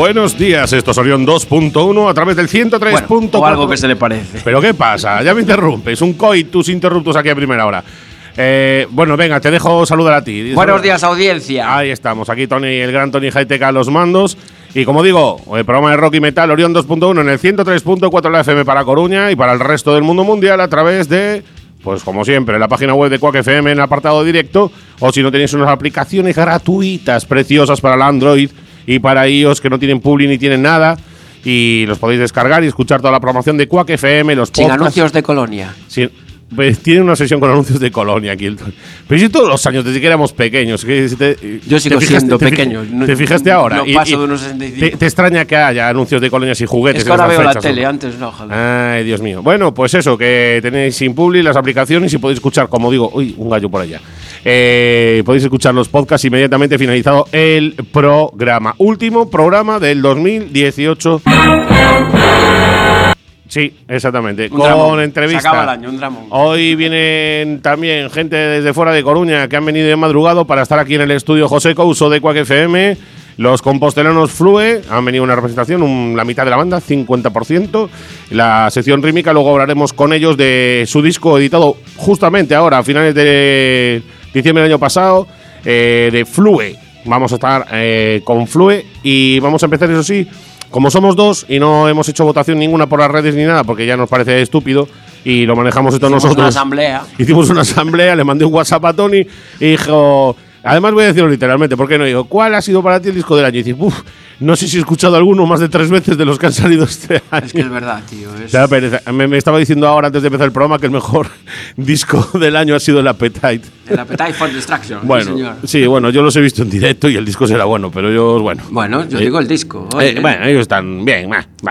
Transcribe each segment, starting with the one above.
Buenos días, esto es Orión 2.1 a través del 103.4. Bueno, o algo que se le parece. ¿Pero qué pasa? Ya me interrumpes, un coitus interruptus aquí a primera hora. Bueno, venga, te dejo saludar a ti. Buenos días, audiencia. Ahí estamos, aquí Tony, el gran Tony Hightech a los mandos. Y como digo, el programa de rock y metal Orión 2.1 en el 103.4 de la FM para Coruña y para el resto del mundo mundial a través de, pues como siempre, la página web de Quack FM en el apartado directo, o si no tenéis unas aplicaciones gratuitas preciosas para el Android y para iOS que no tienen publi ni tienen nada, y los podéis descargar y escuchar toda la programación de Quack FM, los podcasts. Sin anuncios de Colonia. Pues tiene una sesión con anuncios de Colonia aquí. Pero si todos los años, desde que éramos pequeños. Yo sigo siendo pequeño. ¿Te fijaste ahora? No paso de unos 65. ¿Te extraña que haya anuncios de Colonias y juguetes? Es que ahora veo la tele, antes no, joder. Ay, Dios mío. Bueno, pues eso, que tenéis sin publi las aplicaciones y podéis escuchar, como digo, uy, un gallo por allá. Podéis escuchar los podcasts inmediatamente finalizado el programa. Último programa del 2018. Sí, exactamente. Con entrevista. Se acaba el año, un dramón. Hoy vienen también gente desde fuera de Coruña que han venido de madrugado para estar aquí en el estudio José Couso de Quack FM. Los compostelanos Flue han venido una representación, la mitad de la banda, 50%. La sección rítmica, luego hablaremos con ellos de su disco editado justamente ahora, a finales de diciembre del año pasado, de Flue. Vamos a estar con Flue y vamos a empezar, eso sí. Como somos dos y no hemos hecho votación ninguna por las redes ni nada, porque ya nos parece estúpido y lo manejamos esto nosotros. Hicimos una asamblea, le mandé un WhatsApp a Tony y dijo… Además voy a decirlo literalmente, ¿por qué no? Digo, ¿cuál ha sido para ti el disco del año? Y dices, no sé si he escuchado alguno más de 3 veces de los que han salido este año. Es que es verdad, tío. Me estaba diciendo ahora, antes de empezar el programa, que el mejor disco del año ha sido el Appetite. El Appetite for Destruction. Bueno, señor. Sí, bueno, yo los he visto en directo y el disco será bueno, pero ellos, bueno. Bueno, yo digo el disco. Bueno, ellos están bien,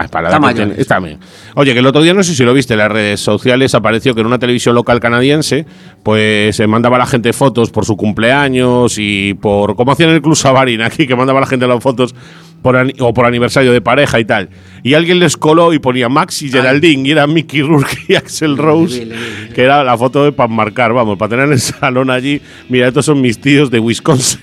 para está bien. Oye, que el otro día, no sé si lo viste en las redes sociales, apareció que en una televisión local canadiense, pues se mandaba a la gente fotos por su cumpleaños y por, como hacían en el Club Sabarín aquí, que mandaba a la gente las fotos por aniversario de pareja y tal. Y alguien les coló y ponía Max y Geraldine, y era Mickey Rourke y Axl Rose, que era la foto para marcar, vamos, para tener en el salón allí. Mira, estos son mis tíos de Wisconsin.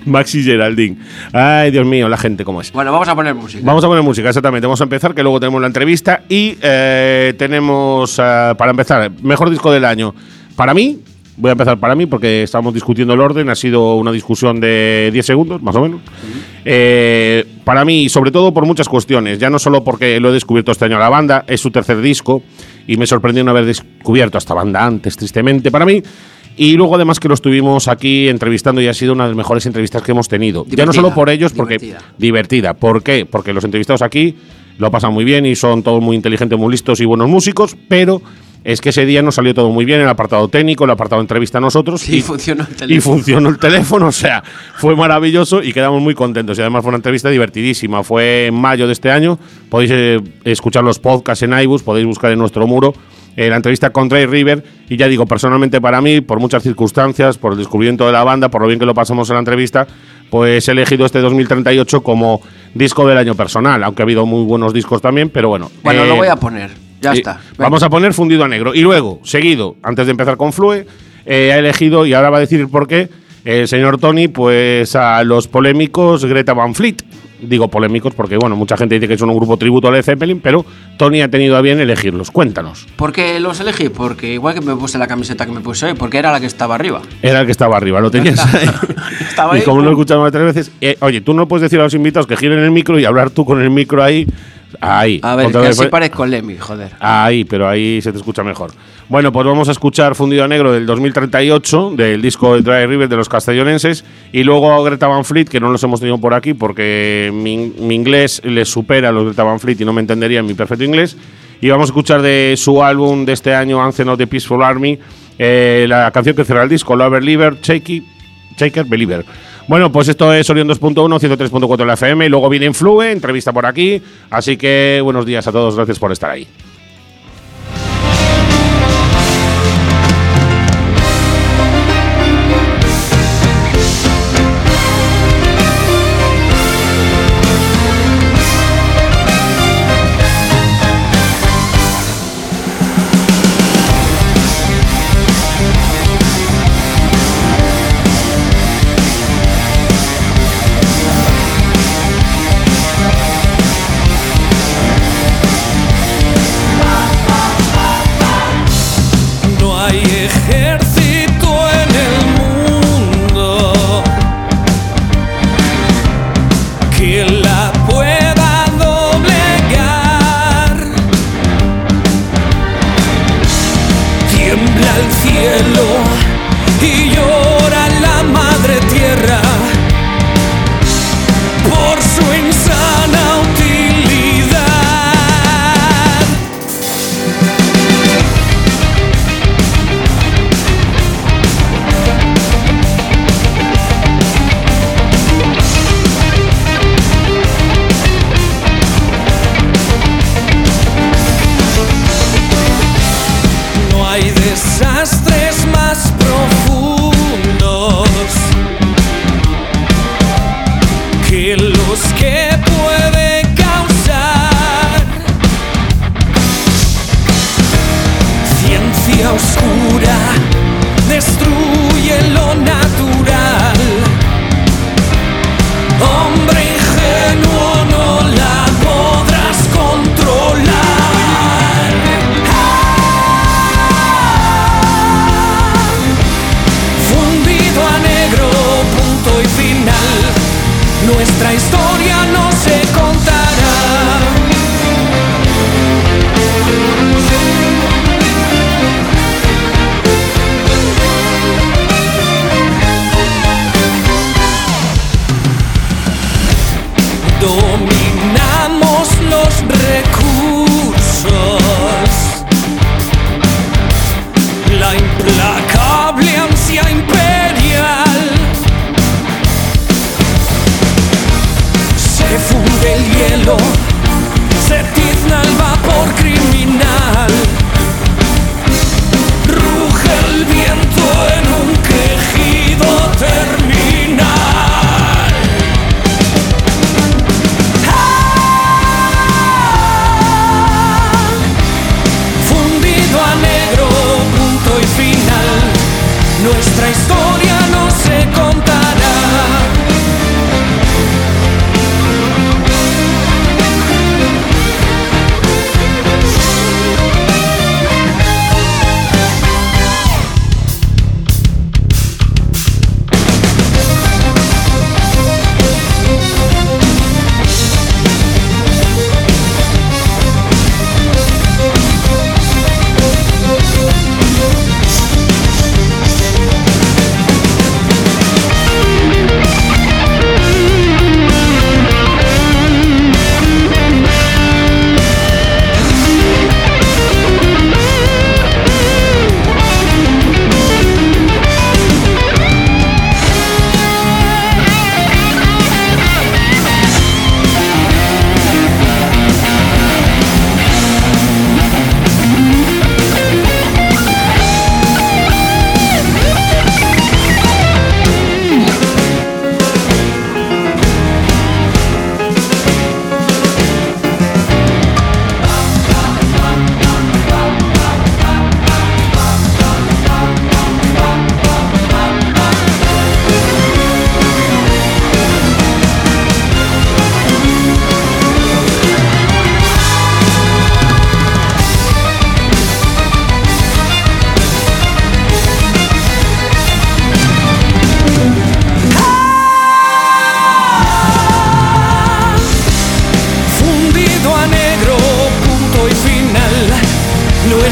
Max y Geraldine. Ay, Dios mío, la gente cómo es. Bueno, vamos a poner música. Vamos a poner música, exactamente. Vamos a empezar, que luego tenemos la entrevista y tenemos, para empezar, mejor disco del año. Para mí, voy a empezar para mí porque estamos discutiendo el orden. Ha sido una discusión de 10 segundos, más o menos. Para mí, sobre todo por muchas cuestiones. Ya no solo porque lo he descubierto este año a la banda, es su tercer disco y me sorprendió no haber descubierto a esta banda antes, tristemente para mí. Y luego además que lo estuvimos aquí entrevistando y ha sido una de las mejores entrevistas que hemos tenido. Ya no solo por ellos, porque divertida. ¿Por qué? Porque los entrevistados aquí lo pasan muy bien y son todos muy inteligentes, muy listos y buenos músicos, pero es que ese día nos salió todo muy bien, el apartado técnico, el apartado entrevista a nosotros. Sí, funcionó el teléfono. Y funcionó el teléfono, o sea, fue maravilloso y quedamos muy contentos. Y además fue una entrevista divertidísima. Fue en mayo de este año. Podéis escuchar los podcasts en iBooks, podéis buscar en nuestro muro la entrevista con Dry River. Y ya digo, personalmente para mí, por muchas circunstancias, por el descubrimiento de la banda, por lo bien que lo pasamos en la entrevista, pues he elegido este 2038 como disco del año personal, aunque ha habido muy buenos discos también, pero bueno. Bueno, lo voy a poner. Ya está. Vamos a poner Fundido a Negro. Y luego, seguido, antes de empezar con Flue, ha elegido, y ahora va a decir por qué, el señor Tony, pues a los polémicos Greta Van Fleet. Digo polémicos porque, bueno, mucha gente dice que son un grupo tributo a Led Zeppelin, pero Tony ha tenido a bien elegirlos. Cuéntanos. ¿Por qué los elegí? Porque igual que me puse la camiseta que me puse hoy, porque era la que estaba arriba. Era el que estaba arriba, lo tenías ahí. Estaba ahí. Y como lo he escuchado más 3 veces, oye, tú no puedes decir a los invitados que giren el micro y hablar tú con el micro ahí. Ahí. A ver, que así parezco Lemmy, joder. Ahí, pero ahí se te escucha mejor. Bueno, pues vamos a escuchar Fundido a Negro del 2038, del disco de Dry River de los castellonenses, y luego Greta Van Fleet, que no los hemos tenido por aquí porque mi inglés les supera a los Greta Van Fleet y no me entenderían mi perfecto inglés. Y vamos a escuchar de su álbum de este año, Anthem of the Peaceful Army, la canción que cierra el disco, Lover Believer, Shaker Believer. Bueno, pues esto es Orión 2.1, 103.4 de la FM, y luego viene Flue, entrevista por aquí, así que buenos días a todos, gracias por estar ahí.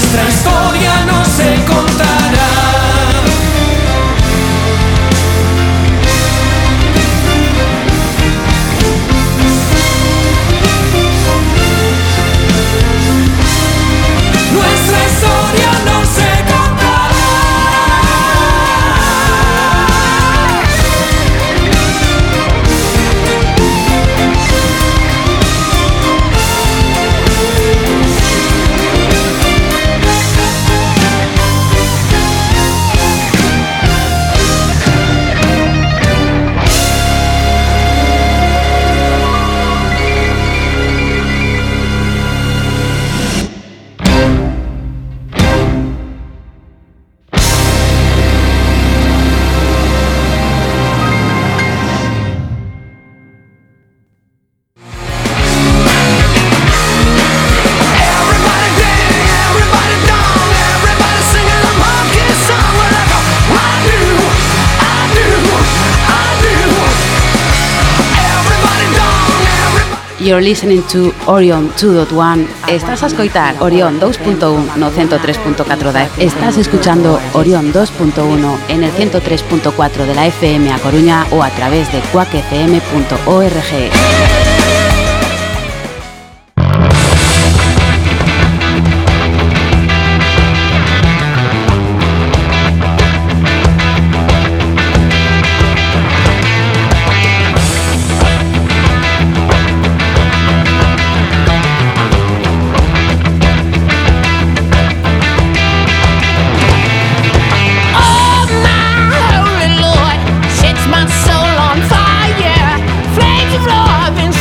nuestra historia no se contará. Nuestra historia no se contará. You're listening to Orion 2.1. Estás a escoitar Orion 2.1 no 103.4 da FM. Estás escuchando Orion 2.1 en el 103.4 de la FM a Coruña o a través de quackfm.org. My soul on fire, flames of love and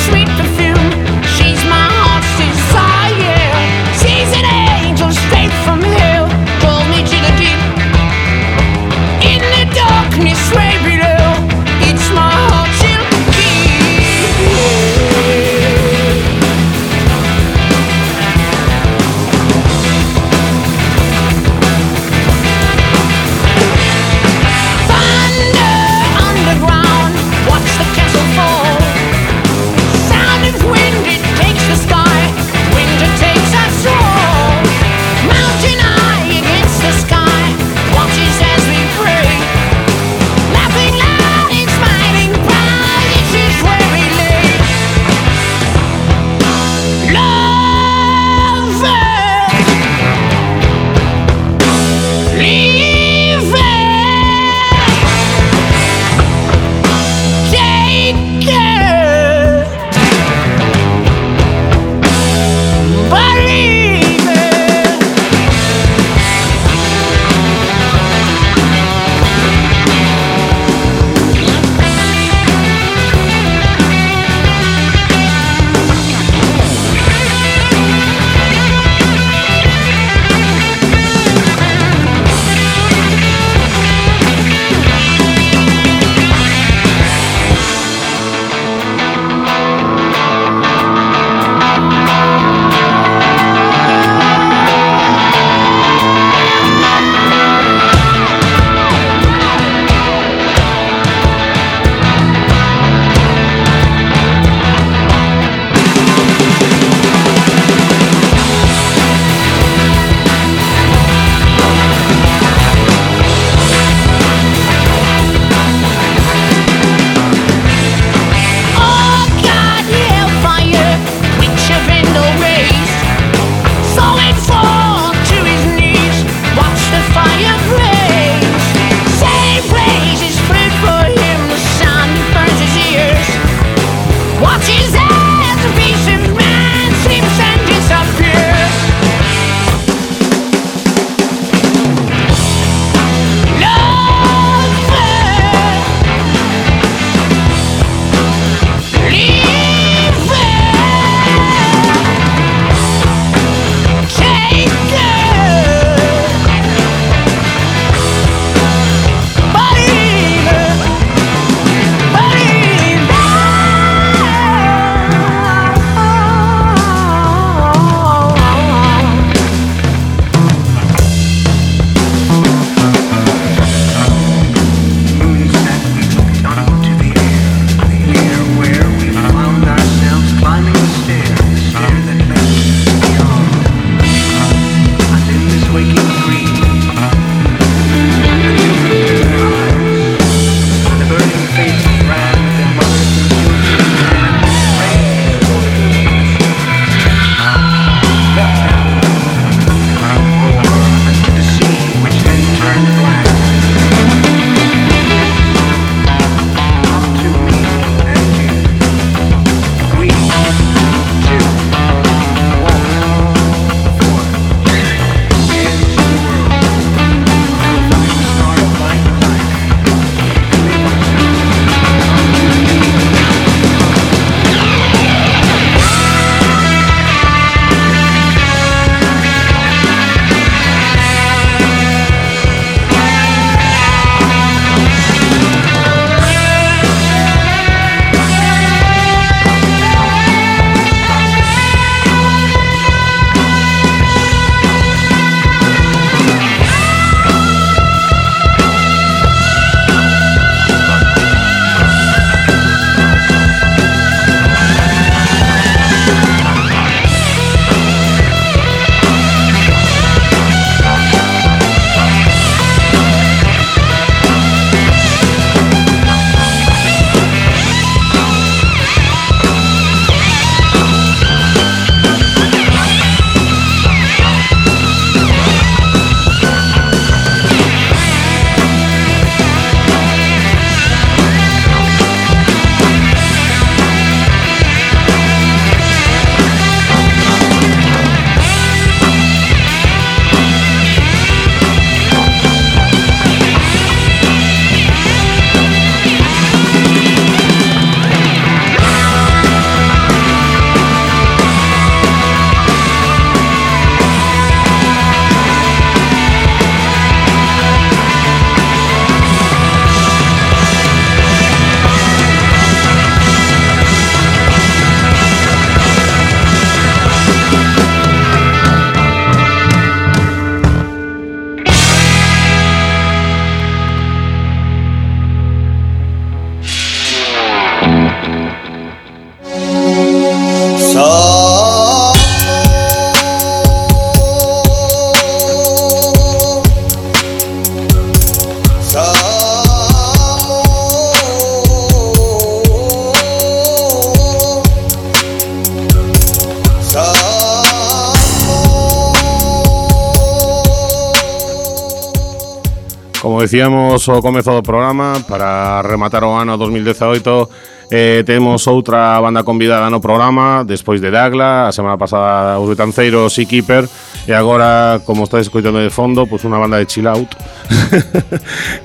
Como decíamos ao comezo do programa, para rematar o ano 2018 temos outra banda convidada no programa, despois de Dagla, a semana pasada os Betanceiros e Keeper, e agora, como estáis escoitando de fondo, pues unha banda de chill out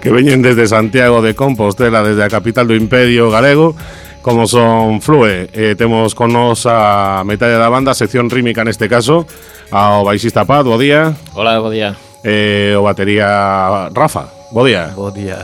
que veñen desde Santiago de Compostela, desde a capital do Imperio Galego, como son Flue. Temos con nos a metade da banda, sección rítmica neste caso, ao baixista Pat, bo día. Hola, bo día. O batería Rafa, bo día. Bo día.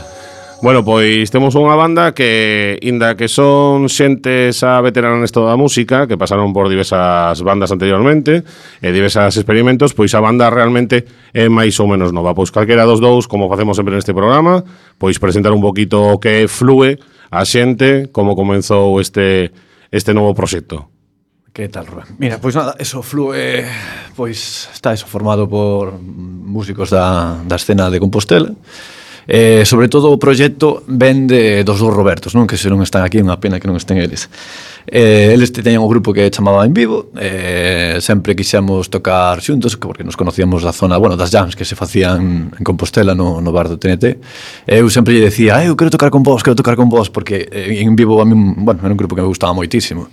Bueno, pois temos unha banda que, inda que son xentes a veterana nesto da música, que pasaron por diversas bandas anteriormente e diversos experimentos, pois a banda realmente é máis ou menos nova. Pois calquera dos dous, como facemos sempre neste programa, pois presentar un poquito o que Flue a xente, como comenzou este novo proxecto. Que tal, Rubén? Mira, pois nada, eso Flue, pois está eso formado por músicos da escena de Compostela. Sobre todo o proxecto ven dos dous Robertos, non? Que se non están aquí, unha pena que non estén eles. Eles teñen un grupo que chamaba En Vivo, sempre quixemos tocar xuntos, porque nos conocíamos da zona, bueno, das jams que se facían en Compostela no bar do TNT. Eu sempre lle decía, eu quero tocar con vos, porque En Vivo a mí, bueno, era un grupo que me gustaba moitísimo.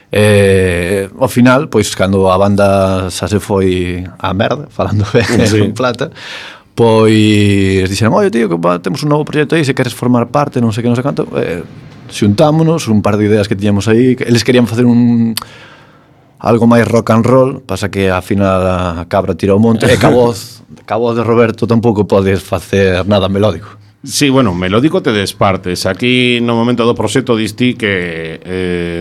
Ao final, pois, cando a banda xa se foi á merda, falando ben en plata, pois dixeron, oye, tío, que temos un novo proxecto aí, se queres formar parte, non sei que, non sei canto, xuntámonos, un par de ideas que tiñamos aí, que eles querían facer algo máis rock and roll, pasa que a final a cabra tira o monte, e ca voz de Roberto tampouco podes facer nada melódico. Sí, bueno, melódico te despartes. Aquí no momento do proxecto distí que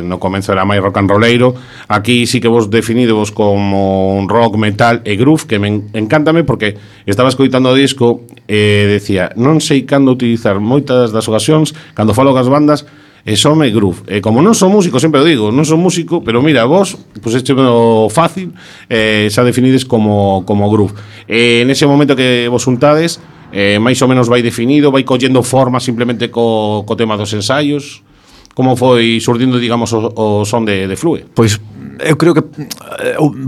no comenzo era máis rock and rolleiro. Aquí sí que vos definidevos como un rock, metal e groove, que me encántame porque estaba escoitando o disco e decía, non sei cando utilizar moitas das ocasións cando falo cas bandas e some groove. E como non son músico, sempre o digo, non son músico, pero mira, vos, pues este o fácil, xa definides como groove. Nese momento que vos juntades, máis ou menos vai definido, vai collendo forma simplemente co tema dos ensaios. Como foi surdindo, digamos, o son de Flue? Pois eu creo que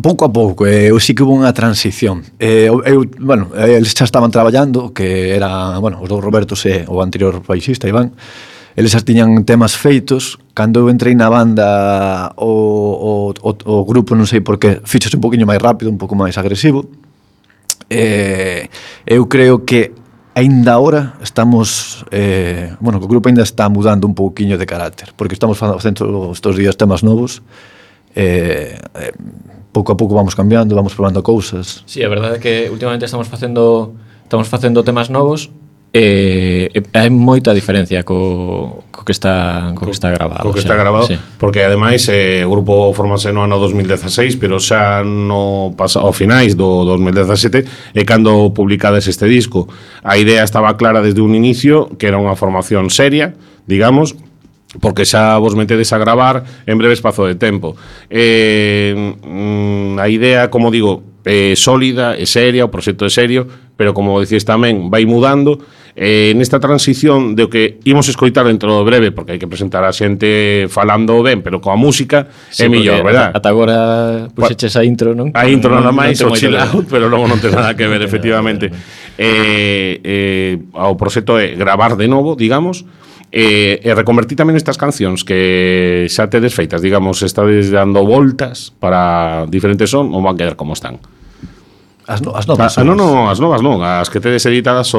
pouco a pouco, eu sí que hubo unha transición. Bueno, eles xa estaban traballando, que era, bueno, os dous Robertos e o anterior baixista, Iván. Eles xa tiñan temas feitos. Cando eu entrei na banda, o grupo, non sei por qué, fíxose un poquinho máis rápido, un pouco máis agresivo. Eu creo que aínda ahora estamos bueno, o grupo aínda está mudando un pouquiño de carácter, porque estamos facendo estes días temas novos, pouco a pouco vamos cambiando, vamos probando cousas. Sí, a verdade é que últimamente estamos facendo temas novos. Hai moita diferencia co que está grabado. Co que está grabado, sí. Porque ademais o grupo formase no ano 2016, pero xa no ao finais do 2017 e cando publicades este disco. A idea estaba clara desde un inicio, que era unha formación seria, digamos, porque xa vos metedes a gravar en breve espazo de tempo. A idea, como digo, é sólida, é seria, o proxecto é serio, pero como dicís tamén, vai mudando. Nesta transición de o que imos escoitar dentro do breve, porque hai que presentar a xente falando ben, pero coa música é mellor, verdad? Ata agora puxeches a intro, non? A intro nada máis, o chill out, pero logo non ten nada que ver, efectivamente. O proxecto é gravar de novo, digamos, e reconvertir tamén estas cancións que xa tedes feitas, digamos, estades dando voltas para diferentes son, ou van quedar como están? As novas. Non, as novas non, as que tedes editadas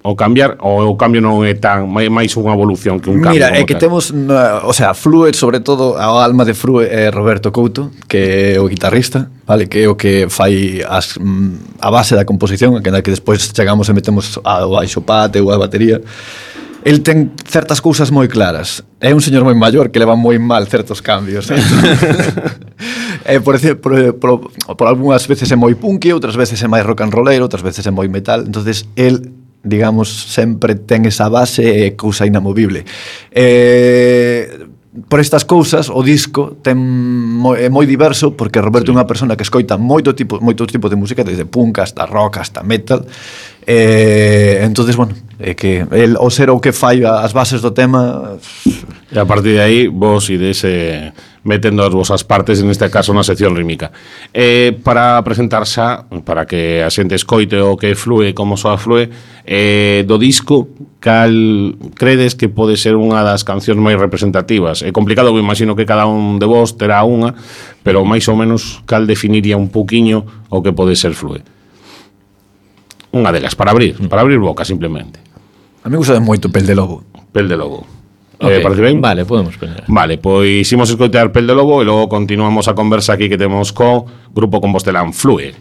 o cambiar, ou o cambio non é tan máis unha evolución que un cambio. Mira, é que temos, o sea, Flue, sobre todo, a alma de Flue é Roberto Couto, que é o guitarrista, vale, que é o que fai a base da composición, que despois chegamos e metemos ao baixo pate ou a batería. El ten certas cousas moi claras. É un señor moi maior que leva moi mal certos cambios. Por algunhas veces é moi punky, outras veces é máis rock and rollero, outras veces é moi metal. Entonces, el, digamos, sempre ten esa base e cousa inamovible. Por estas cousas, o disco é moi diverso, porque Roberto é unha persona que escoita moitos tipos de música, desde punk hasta rock hasta metal. Entonces, bueno, é que el, o ser o que fai as bases do tema, E a partir de aí vos ides metendo as vosas partes, en este caso na sección rítmica. Para presentar xa, para que a xente escoite o que flúe, como soa flúe, do disco, cal credes que pode ser unha das cancións máis representativas? É complicado, eu imagino que cada un de vos terá unha, pero máis ou menos cal definiría un pouquiño o que pode ser flúe? Unha delas, para abrir boca, simplemente. A mí gusta moito Pel de Lobo. Pel de Lobo. Okay. Parece ben? Vale, podemos poner. Vale, pois imos escoitar Pel de Lobo e logo continuamos a conversa aquí que temos co Grupo Compostelán Flúe.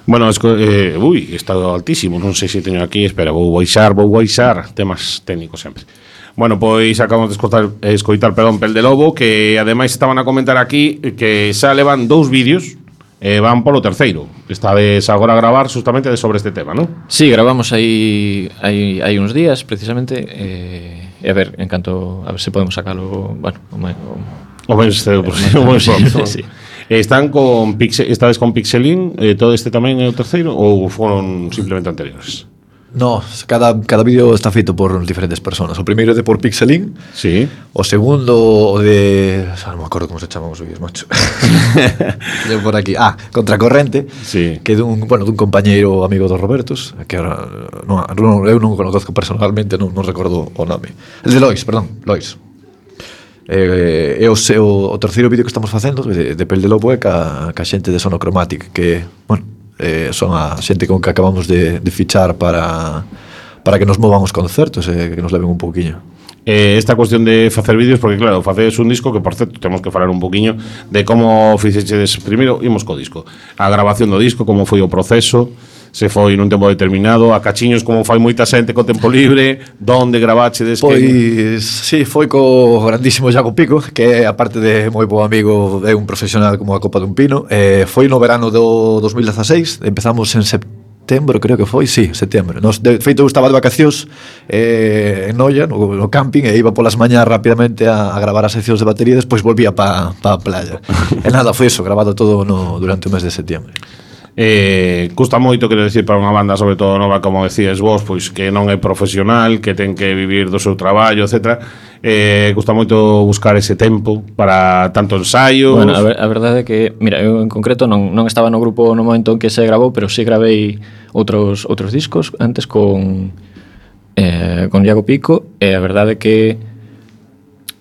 Bueno, está altísimo, non sei se teño aquí, espera, vou baixar, temas técnicos sempre. Bueno, pois acabamos de escoitar Pel de Lobo, que ademais estaban a comentar aquí que xa levan 2 vídeos, van polo terceiro. Estades agora a gravar justamente sobre este tema, non? Sí, grabamos aí uns días, precisamente, a ver se podemos sacalo, bueno, O mes pronto. sí. Estades con Pixelín, todo este tamén é o terceiro ou foron simplemente anteriores? No, cada vídeo está feito por diferentes personas. O primeiro é de por Pixelín. Sí. O segundo o de... non me acordo como se chaman os vídeos, macho. De por aquí. Contracorrente. Sí. Que é dun compañeiro amigo dos Robertos, que ahora eu non o conozco personalmente, non recordo o nome. El de Lois, perdón, Lois. O terceiro vídeo que estamos facendo de Pel de Lobo é ca xente de Sonochromatic, que, bueno, son a xente con que acabamos de fichar para que nos movan os concertos e que nos leven un pouquiño. Esta cuestión de facer vídeos, porque claro, facedes un disco que, por certo, temos que falar un poquinho de como fixeches primeiro, imos co disco, a grabación do disco, como foi o proceso, se foi nun tempo determinado, a cachiños como fai moita xente co tempo libre, donde gravachedes? Pois, sí, foi co grandísimo Iago Pico, que aparte de moi bo amigo, é un profesional como a copa dun pino. Foi no verano do 2016, empezamos en setembro, creo que foi, sí, setembro. De feito, eu estaba de vacacións en Noia, no camping, e iba polas mañás rapidamente a gravar as seccións de batería, e despois volvía pa a playa. E nada, foi eso, grabado todo durante o mes de setembro. Custa moito, quero decir, para unha banda sobre todo nova, como decías vos, pois que non é profesional, que ten que vivir do seu traballo, etc. Custa moito buscar ese tempo para tanto ensaios. Bueno, a verdade é que, mira, eu en concreto non estaba no grupo no momento en que se grabou, pero sí gravei outros discos antes con Iago Pico, e a verdade é que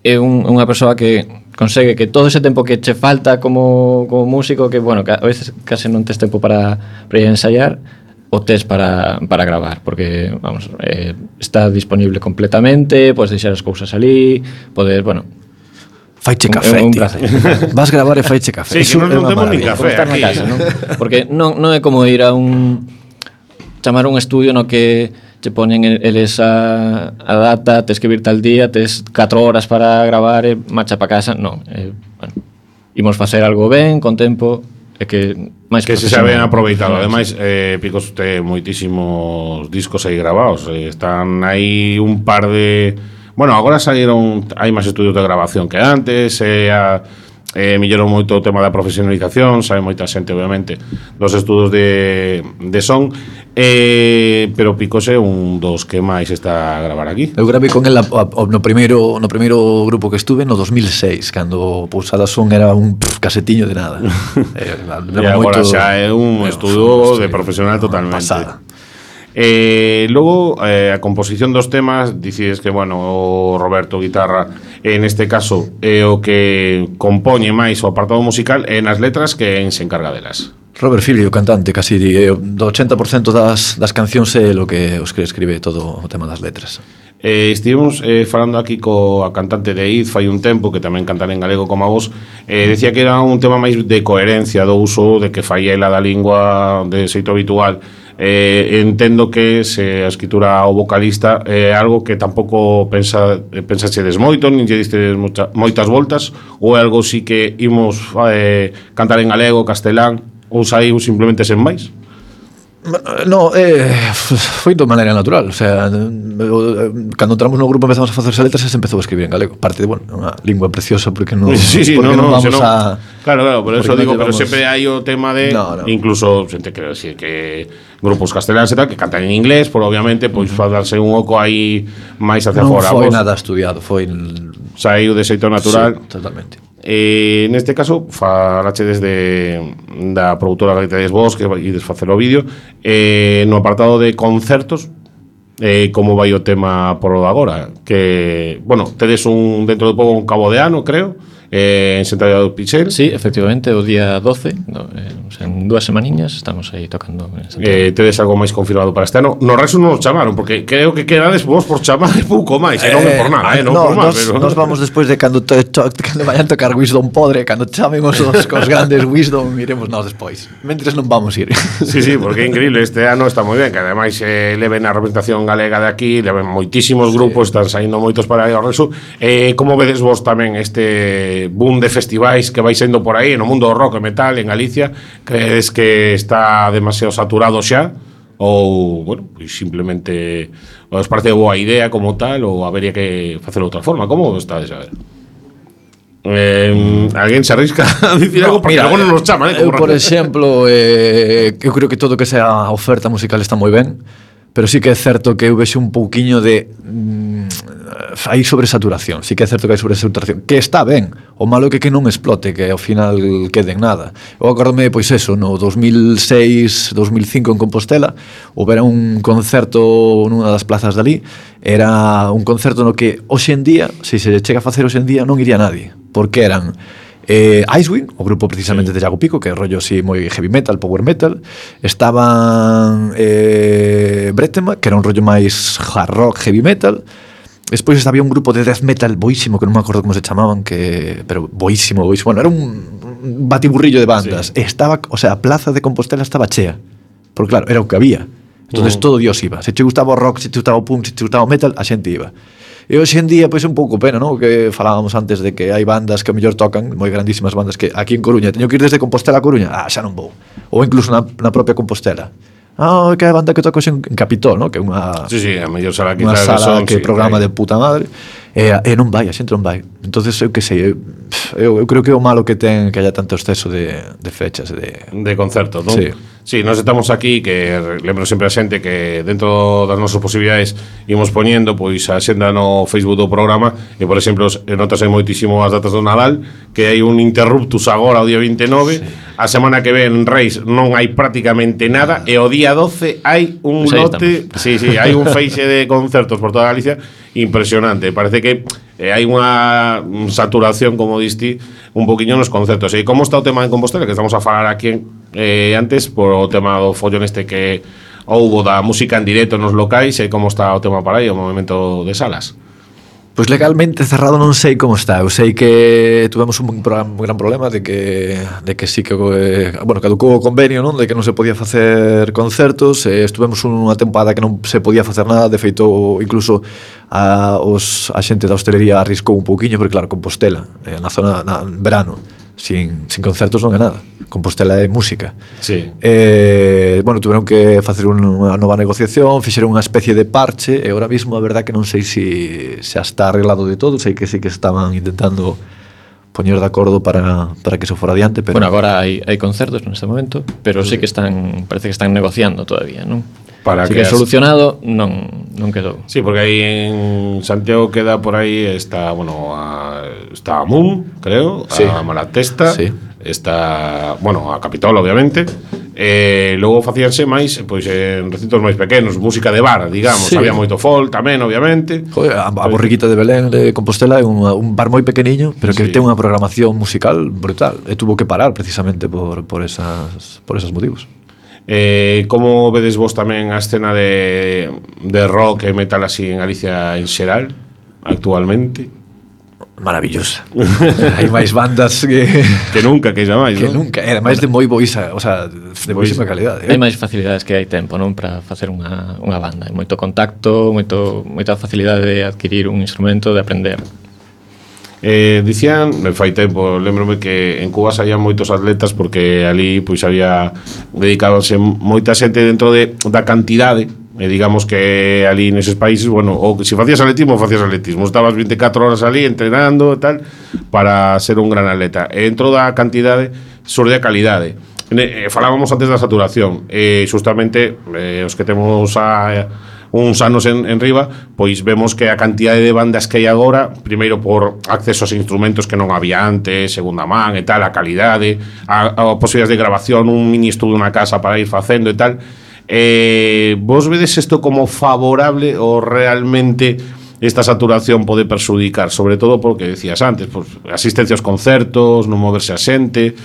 é unha persoa que consegue que todo ese tempo que che falta como músico, que, bueno, que a veces case non tes tempo para ir a ensayar, o tes para gravar, porque, vamos, está disponible completamente, podes deixar as cousas ali, podes, bueno... Faiche café, un tío. placer. Vas gravar e faiche café. Sí, que non temos nin café Estar na aquí. casa, non? Porque non é como ir a chamar un estudio no que che ponen eles a data, tes que vir tal día, tes 4 horas para gravar e marcha para casa. Non, bueno, imos facer algo ben, con tempo, e que máis que se saben aproveitado. Ademais, Picos ten moitísimos discos aí grabados. Están aí un par de... Bueno, agora saíron, hai máis estudios de grabación que antes, melloron moito o tema da profesionalización, sabe moita xente, obviamente, dos estudos de son, pero Picos é un dos que máis está a gravar aquí. Eu gravei con el no primeiro grupo que estuve no 2006, cando Pousada Son era un casetiño de nada. E agora xa é un estudo de profesional totalmente. Pasada. Logo, a composición dos temas, dicides que, bueno, o Roberto guitarra, en este caso, é o que compoñe máis o apartado musical, e nas letras que en se encarga delas. Robert Filio, cantante, casi do 80% das cancións é o que escribe todo o tema das letras. Estivemos falando aquí coa cantante de Id fai un tempo, que tamén cantan en galego como a vos, decía que era un tema máis de coherencia do uso, de que fai ela da lingua de xeito habitual. Entendo que se a escritura ao vocalista é algo que tampouco pensaxedes moito, nin lle distes moitas voltas, ou é algo si que imos cantar en galego, castelán, ou saiu simplemente sen máis? No, foi de maneira natural. O sea, cando entramos no grupo empezamos a facerse letras e se empezou a escribir en galego. Parte de, bueno, unha lingua preciosa porque non, sí, porque non vamos senón, a... Claro, por eso digo, pero llevamos... sempre hai o tema de No. incluso, xente, quero decir que grupos casteláns e tal, que cantan en inglés, por obviamente, pois darse un oco aí máis hacia Non fora. foi nada estudiado, foi... Saiu de xeito natural. Sí, totalmente. Neste caso, falache desde da produtora que tedes vos, que ides facer o vídeo, no apartado de concertos, como vai o tema por o de agora? Que, bueno, tedes dentro de pouco un cabo de ano, creo, en Santiago do Pichel. Sí, efectivamente, o día 12, o sea, en 2 semaniñas estamos aí tocando en Santiago. Tedes algo máis confirmado para este ano? No resto non nos chamaron, porque creo que quedades vos por chamar e pouco máis, non é por nada, non por mal, pero nos vamos despois de cando vayan tocar Wisdom Podre, cando chamen os grandes Wisdom, iremos nós despois. Mentres non vamos ir. Sí, porque é increíble, este ano está moi ben, que ademais leven a representación galega de aquí, leven moitísimos grupos, están saindo moitos para aí ao resto. Como vedes vos tamén este boom de festivais que vai sendo por aí no mundo do rock e metal en Galicia? Credes que está demasiado saturado xa? Ou, bueno, pues simplemente os parece boa idea como tal, ou habería que facelo de outra forma? Como está a ver? Alguén se arrisca a dicir algo porque algo non nos chama, por exemplo, eu creo que todo que sea a oferta musical está moi ben, pero sí que é certo que eu vexo un pouquiño de hai sobresaturación, sí que é certo que hai sobresaturación, que está ben, o malo é que non explote, que ao final quede en nada. Eu acordome, pois eso, no 2006, 2005 en Compostela, houbera un concerto nunha das plazas dali, era un concerto no que hoxe en día, se chega a facer hoxe en día, non iría nadie, porque eran Icewind, o grupo precisamente de Iago Pico, que é rollo así moi heavy metal, power metal. Estaban Bretema, que era un rollo máis hard rock, heavy metal. Despois había un grupo de death metal boísimo, que non me acordo como se chamaban, pero boísimo. Bueno, era un batiburrillo de bandas. Sí. Estaba, o sea, a plaza de Compostela estaba chea, porque claro, era o que había. Entonces todo Dios iba. Se te gustaba o rock, se te gustaba o punk, se te gustaba o metal, a xente iba. E hoxe en día, pois é un pouco pena, non? Que falábamos antes de que hai bandas que a mellor tocan, moi grandísimas bandas, que aquí en Coruña, teño que ir desde Compostela a Coruña, xa non vou. Ou incluso na propia Compostela. Que é a banda que toca hoxe en Capitol, non? Que é unha a mellor sala que que programa de puta madre. E non vai, a xente non vai. Entonces, eu que sei, eu creo que é o malo que ten que haya tanto exceso de fechas, de concertos, non? Sí, nós estamos aquí, que lembro sempre a xente que dentro das nosas posibilidades imos poñendo pois a xenda no Facebook do programa, e por exemplo, notase moitísimo as datas do Nadal, que hai un interruptus agora o día 29, a semana que ven Reis non hai prácticamente nada, e o día 12 hai un lote, hai un feixe de concertos por toda Galicia impresionante. Parece que hai unha saturación, como diste, un poquinho nos concertos. E como está o tema en Compostela, que estamos a falar aquí antes, por o tema do follón este que houbo da música en directo nos locais, e como está o tema para aí, o movimento de salas? Pois legalmente cerrado non sei como está. Eu sei que tuvemos un gran problema de que sí que caducou o convenio, non? De que non se podía facer concertos. Estuvemos unha tempada que non se podía facer nada. De feito, incluso a xente da hostelería arriscou un pouquiño, porque claro, Compostela, na zona en verano, sin concertos non é nada. Compostela é música. Sí. Tuveron que facer unha nova negociación, fixeron unha especie de parche, e ahora mismo a verdad que non sei se está arreglado de todo. Sei que sí que estaban intentando poñer de acordo para que se fora adiante, pero agora hai concertos neste momento, pero sí que parece que están negociando todavía, non? Para que solucionado non quedou. Sí, porque aí en Santiago queda por aí está a Moon, creo, a Malatesta, está, a Capitol, obviamente. Logo facíanse máis pois en recintos máis pequenos, música de bar, digamos, había moito folk tamén, obviamente. Joder, a Borriquita de Belén de Compostela é un bar moi pequeniño, pero que ten unha programación musical brutal, e tuvo que parar precisamente por esos motivos. Como vedes vos tamén a escena de rock e metal así en Galicia en xeral actualmente? Maravillosa. Hai máis bandas que nunca, que xa máis, que non? Nunca, era máis de moi boísa, o sea, de boísima calidade. Hai máis facilidades que hai tempo, non, para facer unha banda. Hai moito contacto, moita facilidade de adquirir un instrumento, de aprender. Dicían, fai tempo, lembrome que en Cuba saían moitos atletas, porque ali pois había dedicábase moita xente dentro da cantidade. Digamos que ali neses países, ou se facías atletismo, estabas 24 horas ali entrenando e tal, para ser un gran atleta. E dentro da cantidade xurde a calidade. Falábamos antes da saturación, justamente os que temos uns anos en riba, pois vemos que a cantidade de bandas que hai agora, primeiro por acceso aos instrumentos que non había antes, segunda man e tal, a calidade, a posibilidades de grabación, un mini estudio na casa para ir facendo e tal. Vos vedes isto como favorable ou realmente esta saturación pode perxudicar, sobre todo porque decías antes, pues, asistencia aos concertos, non moverse a xente.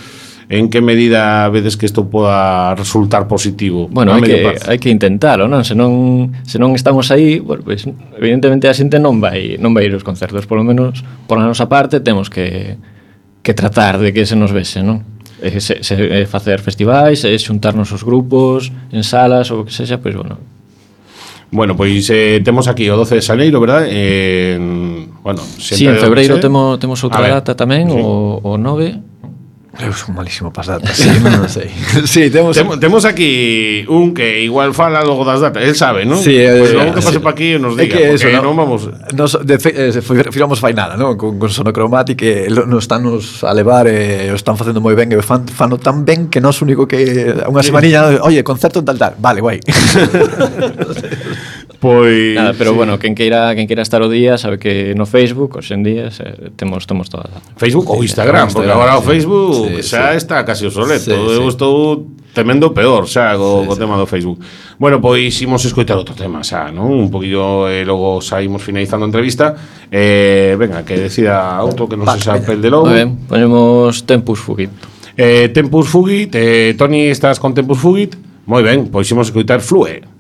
En que medida vedes que isto poda resultar positivo? Bueno, hai que intentalo, non? Se non estamos aí, bueno, pues, evidentemente a xente non vai ir aos concertos, por lo menos por a nosa parte temos que tratar de que se nos vese, non? Facer festivais, xuntarnos os grupos en salas ou o que sexa, pois bueno. Bueno, pois temos aquí o 12 de xaneiro, verdad? Bueno, sí, en febreiro temos outra data tamén, sí. o 9. Eu son malísimo para as datas, sí, non sei. Sí, temos aquí un que igual fala logo das datas, él sabe, non? Sí, pues logo que pase pa aquí e nos diga, porque eso, non vamos... Firamos fai nada, non? Con Sonocromatic que nos están a levar e o están facendo moi ben e fano tan ben que nos único que unha semanilla, oye, concerto en tal, vale, guai. Pois nada, pero sí. Bueno, quen queira estar o día sabe que no Facebook, hoxe en día temos todas. Facebook ou Instagram, porque agora o Facebook xa está casi obsoleto. Eu estou temendo peor xa co tema do Facebook. Bueno, pois imos escoitar outro tema xa, non? Un poquillo logo saímos finalizando a entrevista. Venga, que decida outro que non se xa pel de logo. Ben, ponemos Tempus Fugit. Tempus Fugit, Toni, estás con Tempus Fugit? Moi ben, pois imos escoitar Flue.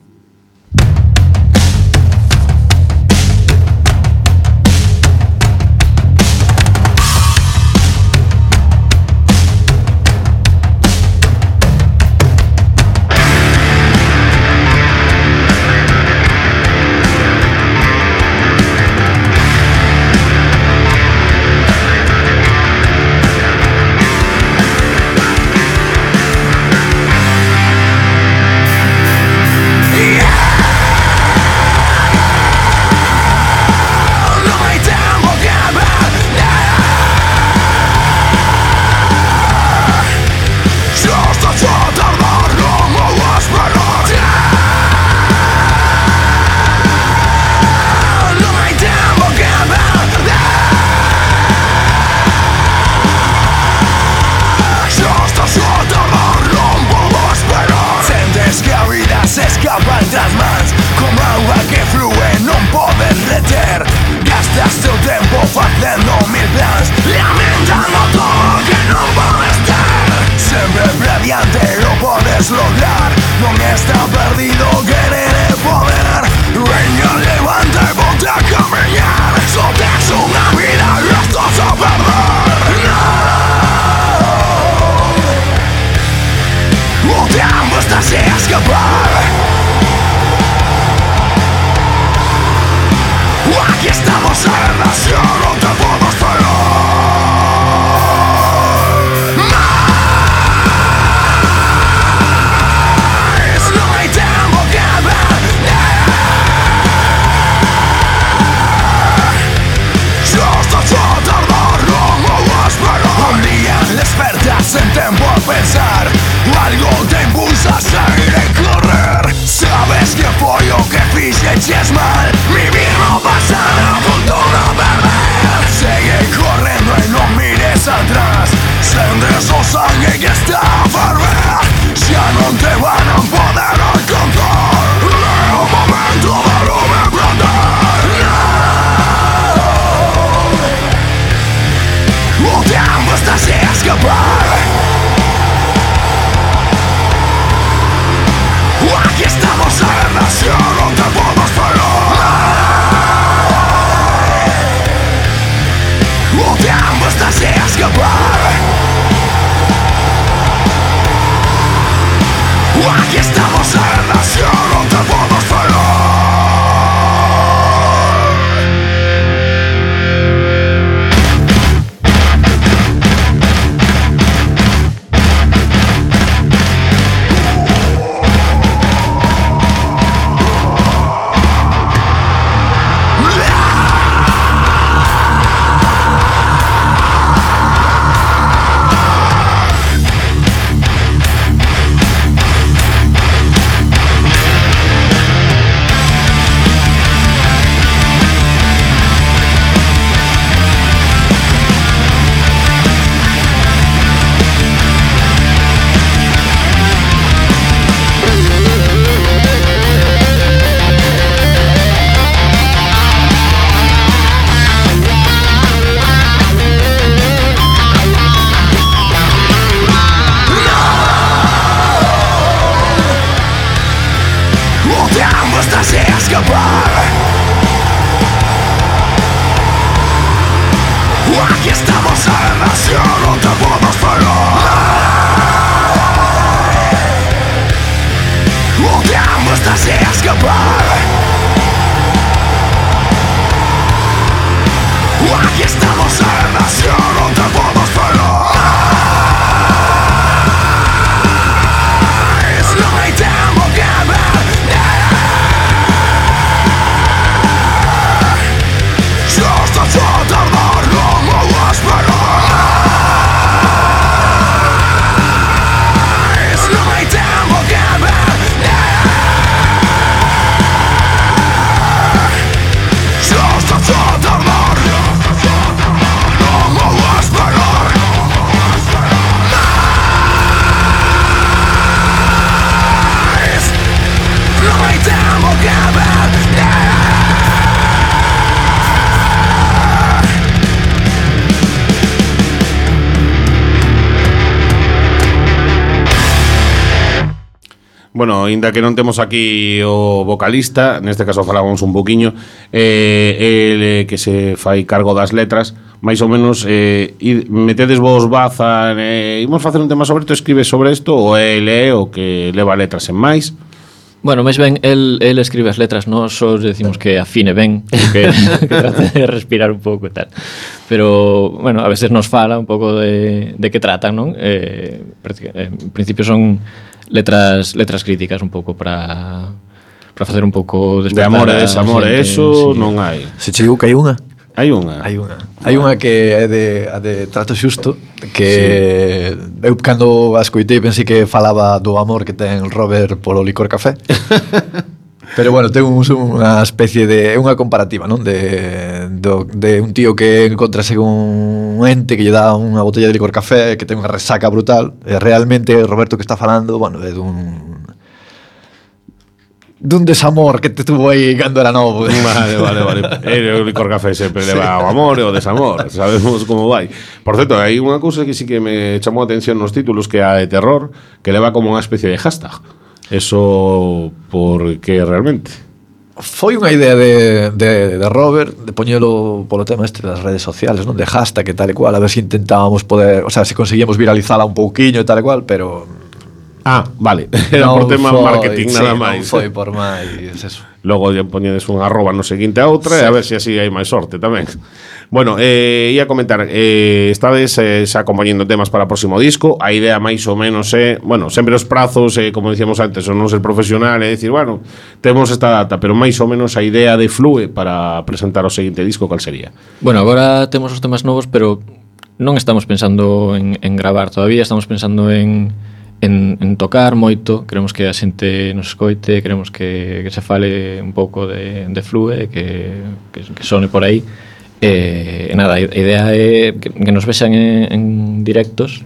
Bueno, ainda que non temos aquí o vocalista, neste caso falábamos un poquiño, el que se fai cargo das letras, máis ou menos metedes vos baza, imos facer un tema sobre isto, escribes sobre isto, ou ele o que leva letras en máis? Bueno, máis ben, el escribe as letras, nós só decimos que afine ben, que trate de respirar un pouco e tal. Pero, bueno, a veces nos fala un pouco de que tratan, non? En principio son letras críticas un pouco para facer un pouco de amor e desamor, eso sí. Non hai. Se che digo que hai unha? Hai unha. Hai unha que é de trato xusto, que sí. Eu cando a escoitei pensei que falaba do amor que ten Robert polo licor café. Pero bueno, ten unha especie de unha comparativa, non? De un tío que encontrase un ente que lle dá unha botella de licor café, que ten unha resaca brutal, e realmente Roberto que está falando, bueno, é dun desamor que te tuvo aí cando era novo. Vale. O licor café sempre leva o amor e o desamor, sabemos como vai. Por certo, hai unha cousa que sí que me chamou a atención nos títulos, que é a de terror, que leva como unha especie de hashtag. Eso por que realmente? Foi unha idea de Robert de poñelo polo tema este das redes sociales, non? De hashtag e tal e cual, a ver se intentábamos poder, o sea, se conseguíamos viralizala un pouquiño e tal e cual, pero vale, era por tema marketing nada máis. Non foi por máis eso. Logo lle poñedes un arroba no seguinte a outra, sí. E a ver se así hai máis sorte tamén. Bueno, ia comentar, estades xa acompañando temas para o próximo disco. A idea máis ou menos é, bueno, sempre os prazos, como dicíamos antes, son non ser profesional, é dicir, bueno, temos esta data, pero máis ou menos a idea de Flue para presentar o seguinte disco, cal sería? Bueno, agora temos os temas novos, pero non estamos pensando en gravar todavía, estamos pensando en tocar moito, queremos que a xente nos escoite, queremos que se fale un pouco de Flue, que sone por aí. Nada, a idea é que nos vexan en directos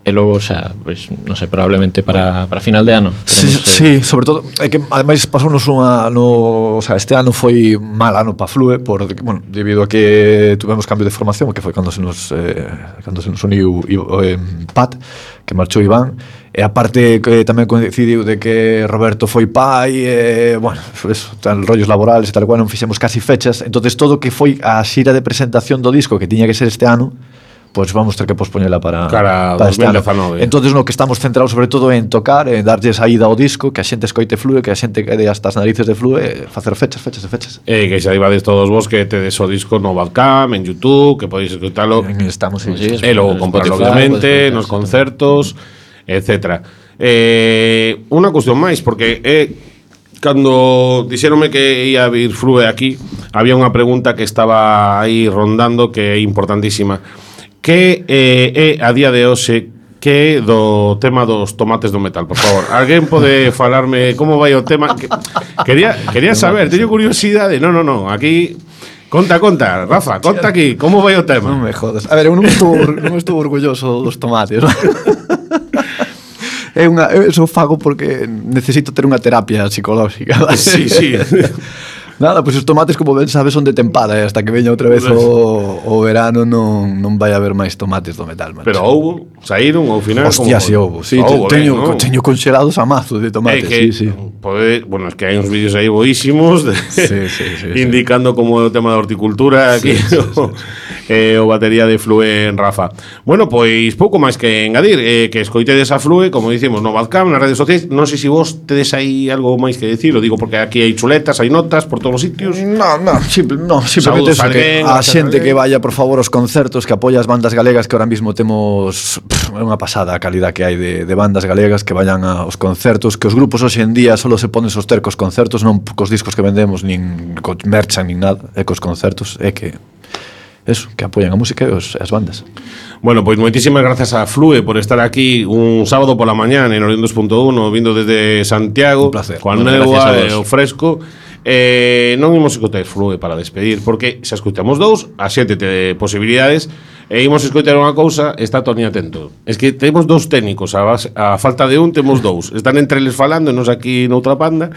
e logo, xa, pues, non sei, probablemente para final de ano. Sí, sobre todo é que ademais pasounos o sea, este ano foi mal ano para Flue bueno, debido a que tuvemos cambio de formación, que foi cando se nos uniu Pat, que marchou Iván, e aparte que tamén coincidiu de que Roberto foi pai, bueno, eso, tan rollos laborales e tal cual, non fixemos casi fechas, entonces todo que foi a xira de presentación do disco que tiña que ser este ano, pues vamos ter que pospoñela para 2019. Entonces no que estamos centrados sobre todo en tocar, en darlle saída ao disco, que a xente escoite Flue, que a xente quede hasta as narices de Flue, facer fechas. Que xa ibades todos vos que tedes o disco no Bandcamp, en YouTube, que podéis escoitalo. Estamos en e logo comprarlo obviamente nos concertos, etcétera. Unha cuestión máis, porque cando dixéronme que ia vir Flue aquí, había unha pregunta que estaba aí rondando que é importantísima. Que é a día de hoxe que do tema dos tomates do metal, por favor. Alguén pode falarme como vai o tema? Quería saber, teño curiosidade. No, aquí conta, Rafa, conta aquí, como vai o tema? Non me jodas. A ver, eu non estou orgulloso dos tomates. Eso fago porque necesito ter unha terapia psicolóxica. Sí. Nada, pois os tomates, como ben sabes, son de tempada, e hasta que veña outra vez o verano non vai haber máis tomates do metal, macho. Pero saíron ao final. Hostia, si houbo. Sí, teño congelados a mazo de tomates, sí. Bueno, es que hai uns vídeos aí boísimos sí. indicando como é o tema da horticultura aquí. Sí. o batería de Flue en Rafa. Bueno, pois pouco máis que engadir, que escoitedes a Flue, como dicimos, no Badcam, nas redes sociais. Non sei se vos tedes aí algo máis que decir, o digo porque aquí hai chuletas, hai notas por todos os sitios. Simplemente eso, que a xente que vaya, por favor, aos concertos, que apoia as bandas galegas, que ahora mismo temos unha pasada a calidad que hai de bandas galegas, que vayan aos concertos, que os grupos hoxe en día solo se ponen soster cos concertos, non cos discos que vendemos, nin co merchan, nin nada, é cos concertos, é que eso, que apoyan a música e as bandas. Bueno, pois moitísimas grazas a Flue por estar aquí un sábado pola mañá en Orión 2.1, vindo desde Santiago, un placer. Coa néboa e o fresco. Non imos escoitar Flue para despedir, porque se escoitamos dous, a xente te posibilidades, e imos escoitar unha cousa, está Toni atento. Es que temos dous técnicos, a falta de un temos dous. Están entre eles falando e nos aquí noutra panda.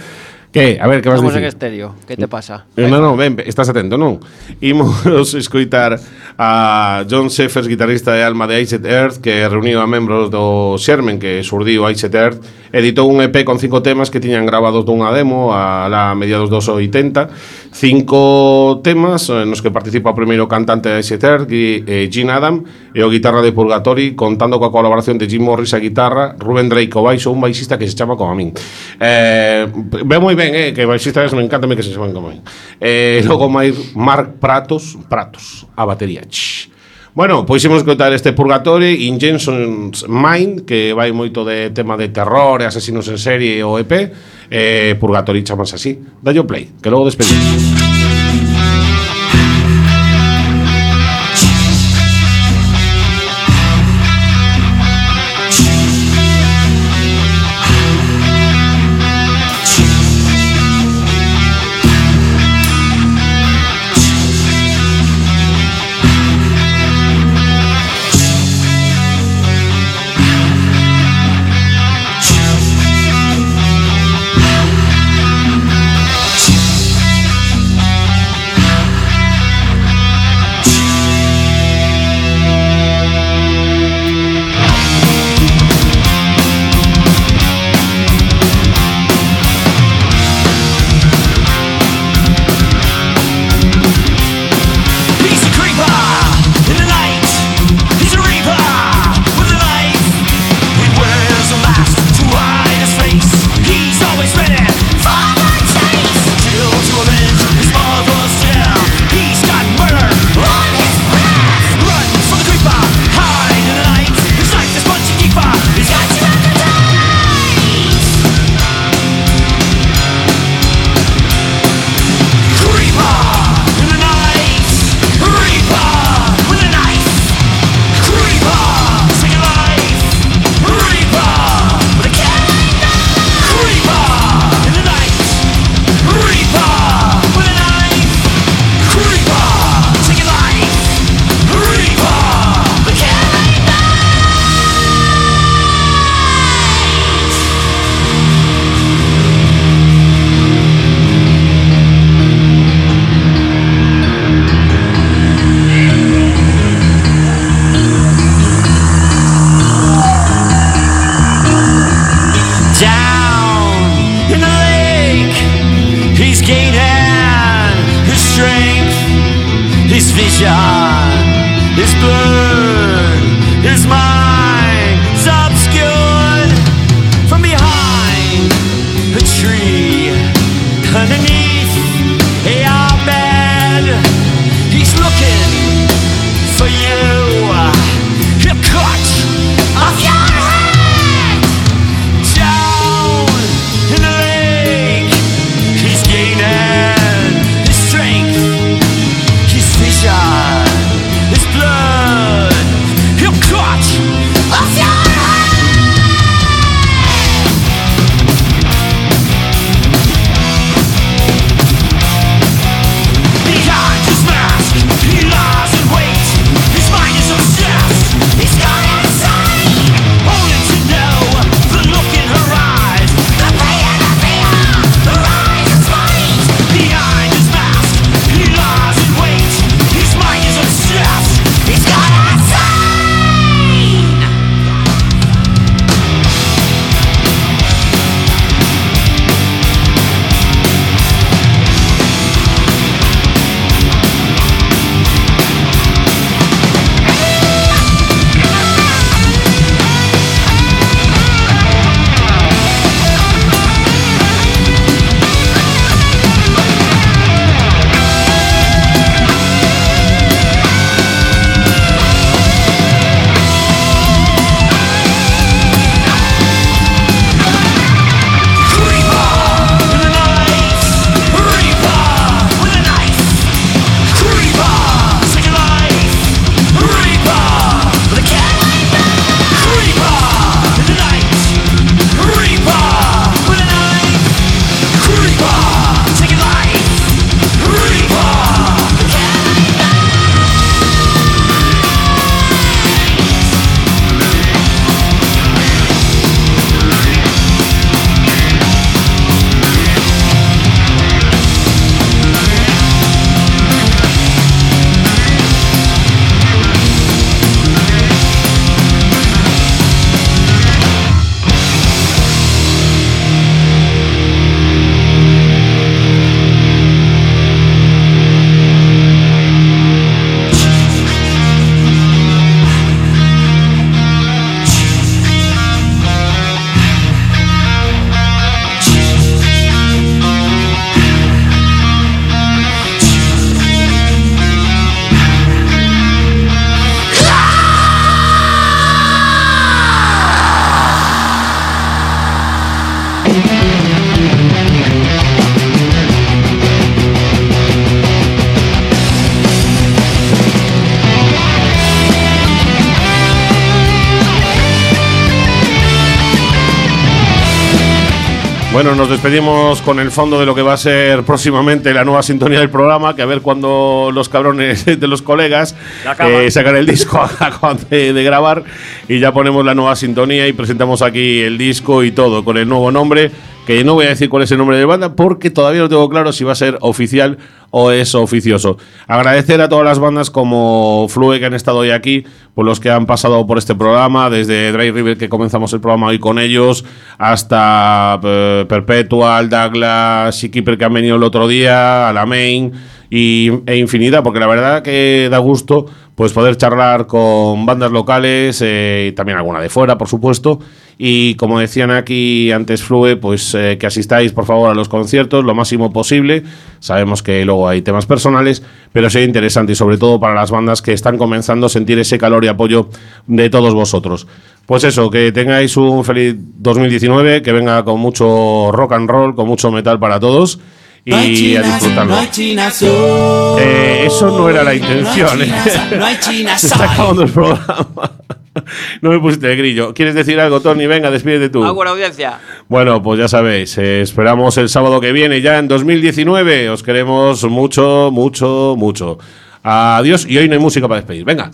Que? A ver, que vas a dicir? Estamos en estéreo, que te pasa? Non, ben, estás atento, non? Imos escoitar a John Sheffers, guitarrista de alma de Iced Earth, que reuniu a membros do Xermen, que surdiu Iced Earth, editou un EP con 5 temas que tiñan grabados dunha demo a mediados dos 80, 5 temas nos que participa o primeiro cantante de Iced Earth, Gene Adam, e o guitarra de Purgatory, contando coa colaboración de Jim Morris a guitarra, Ruben Drake o baixo, un baixista que se chama como a min. Ve moi ben, que baixistas me encantame que se chaman como a min. Logo máis Mark Pratos a batería. Bueno, pois imos escoitar este Purgatory in Jenson's Mind, que vai moito de tema de terror e asesinos en serie o EP. Purgatory chamase así. Dalle o play, que logo despedimos. His blood, his mind's obscured from behind a tree underneath our bed. He's looking for you. He'll cut off your head. Down in the lake, he's gaining his strength, his vision. Bueno, nos despedimos con el fondo de lo que va a ser próximamente la nueva sintonía del programa, que a ver cuando los cabrones de los colegas sacan el disco acaban de grabar y ya ponemos la nueva sintonía y presentamos aquí el disco y todo, con el nuevo nombre, que no voy a decir cuál es el nombre de banda porque todavía no tengo claro si va a ser oficial o es oficioso. Agradecer a todas las bandas como Flue que han estado hoy aquí, por los que han pasado por este programa, desde Dry River, que comenzamos el programa hoy con ellos, hasta Perpetual, Douglas, Seakeeper, que han venido el otro día, a la Main e infinidad, porque la verdad que da gusto pues poder charlar con bandas locales, también alguna de fuera, por supuesto. Y como decían aquí antes Flue, pues que asistáis por favor a los conciertos lo máximo posible. Sabemos que luego hay temas personales, pero sería interesante y sobre todo para las bandas que están comenzando a sentir ese calor y apoyo de todos vosotros. Pues eso, que tengáis un feliz 2019, que venga con mucho rock and roll, con mucho metal para todos. Y a disfrutarlo. Eso no era la intención. Se está acabando el programa. No me pusiste de grillo. ¿Quieres decir algo, Tony? Venga, despídete tú. Buena audiencia. Bueno, pues ya sabéis, esperamos el sábado que viene, ya en 2019. Os queremos mucho, mucho, mucho. Adiós, y hoy no hay música para despedir. Venga.